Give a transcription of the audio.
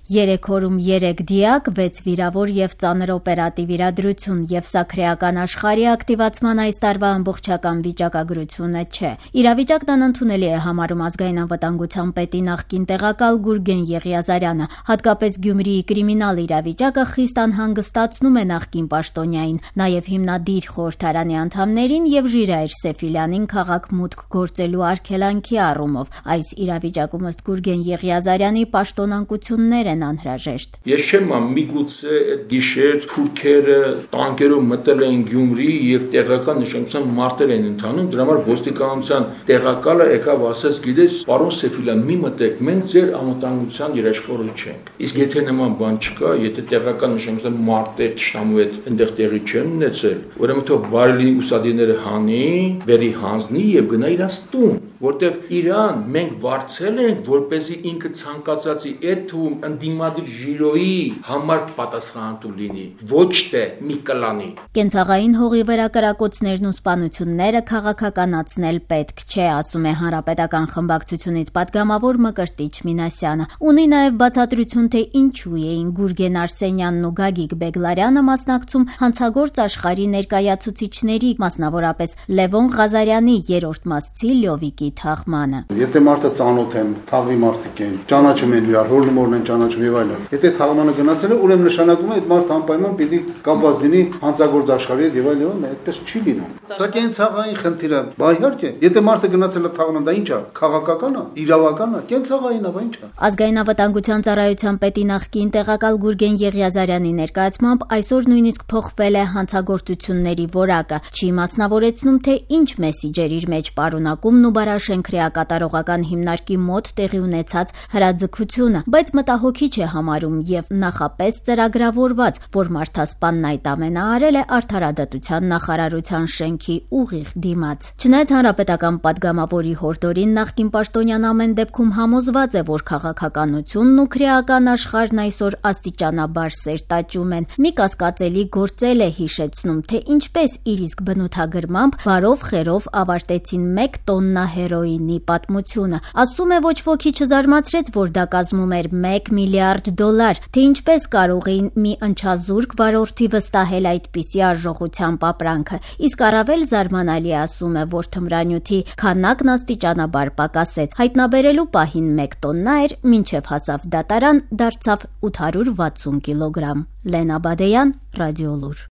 3 օրում 3 դիակ, 6 վիրավոր եւ ծանր օպերատիվ իրադրություն եւ սա քրեական աշխարհի ակտիվացման այս տարվա ամբողջական վիճակագրությունը չէ։ Իրավիճակն անընդունելի է համարում ազգային անվտանգության պետի նախկին տեղակալ Գուրգեն Եղիազարյանը, հատկապես Գյումրիի կրիմինալ իրավիճակը խիստ անհանգստացնում է նախկին պաշտոնյային, նաեւ հիմնադիր խորհրդարանի անդամներին եւ Ժիրայր Սեֆիլյանին քաղաք մուտք գործելու արգելանքի առումով։ Այս իրավիճակում ըստ Գուրգեն Եղիազարյանի պաշտոնանկություններ անհրաժեշտ։ Ես չեմ միգուցե այդ գիշեր թուրքերը տանկերով մտել են Գյումրի եւ տեղական նշանակության մարտեր են ընթանում, դրա համար ոստիկանության տեղակալը եկավ ասեց, գիտես, պարոն Սեֆիլյան, մի մտեք, մենք ձեր անվտանգության երաշխավորը չենք։ Իսկ եթե նման բան չկա, եթե տեղական նշանակության մարտեր ճշտամու հետ այնտեղ տեղի չեն ունեցել, ուրեմն թող բարելի ուսադիրները հանի, բերի հանձնի եւ գնա իրաց տուն, որտեղ Իրան մենք վարձել ենք, որպեսզի ինքը ցանկացածի այդ թվում ընդդիմադիր ժիրոյի համար պատասխանատու լինի, ոչ թե մի կլանի։ Կենցաղային հողի վրա կրակոցներն ու սպանությունները քաղաքականացնել պետք չէ, ասում է Հանրապետական խմբակցությունից պատգամավոր Մկրտիչ Մինասյանը։ Ունի նաև բացատրություն, թե ինչու էին Գուրգեն Արսենյանն ու Գագիկ Բեգլարյանը մասնակցում հանցագործ աշխարհի ներկայացուցիչների, մասնավորապես Լևոն Ղազարյանի երրորդ մասցի Լյովիկի թաղմանը։ Եթե մարդը ծանոթ են, թաղվի մարդիկ են, ճանաչում են իրար, հորնումորն են ճանաչում եւ այլն։ Եթե թաղմանը գնացել է, ուրեմն նշանակում է այդ մարդը անպայման պիտի կապված լինի հանցագործ աշխարհի հետ եւ այլն, այդպես չի լինում։ Սա կենցաղային խնդիր է։ Բա իհարկե, եթե մարդը գնացել է թաղման, դա ի՞նչ է, քաղաքական է, իրավական է, կենցաղային է, բա ի՞նչ է։ Ազգային անվտանգության ծառայության պետի նախկին տեղակալ Գուրգեն Եղիազարյանի ներկայացմամբ այսօր նույնիսկ փոխվել է հանցագործությունների որակը, չի մասնավորեցնում, թե ինչ մեսիջեր իր մեջ պարունակումն ու Բարաշեն քրեակատարողական հիմնարկի մոտ տեղի ունեցած հրաձգությունը, բայց մտահոգիչ է համարում եւ նախապես ծրագրավորված, որ մարդասպանն այդ ամենը արել է արդարադատության նախարարության շենքի ուղիղ դիմաց։ Չնայած հանրապետական պատգամավորի հորդորին նախկին պաշտոնյան ամեն դեպքում համոզված է, որ քաղաքականությունն ու քրեական աշխարհն այսօր աստիճանաբար սերտաճում են։ Մի կասկածելի գործել է հիշեցնում, թե ինչպես իր իսկ բնութագրմամբ բարով խերով ավարտեցին 1 տոննա հերոինի պատմությունը։ Ասում է, ոչ ոքի չզարմացրեց, որ դա կազմում էր $1 միլիարդ, թե ինչպես կարող էին մի ընչազուրկ վարորդի վստահել այդպիսի արժողությամբ ապրանքը։ Իսկ առավել զարմանալի ասում է, որ թմրանյութի քանակն աստիճանաբար պակասեց։ Հայտնաբերելու պահին 1 տոննա էր, մինչև հասավ դատարան, դարձավ 860 կիլոգրամ։ Լենա Բադեյան, Ռադիոլուր։